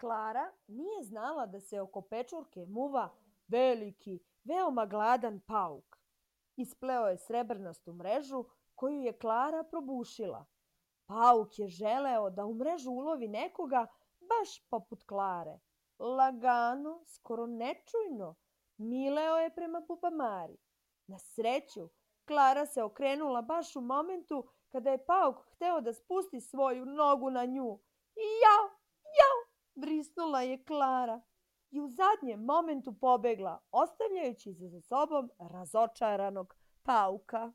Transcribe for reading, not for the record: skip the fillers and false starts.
Klara nije znala da se oko pečurke muva veliki, veoma gladan pauk. Ispleo je srebrnastu mrežu koju je Klara probušila. Pauk je želeo da u mrežu ulovi nekoga baš poput Klare. Lagano, skoro nečujno, mileo je prema Bubamari. Na sreću, Klara se okrenula baš u momentu kada je pauk hteo da spusti svoju nogu na nju. Jao, jao, vrisnula je Klara i u zadnjem momentu pobegla, ostavljajući za sobom razočaranog pauka.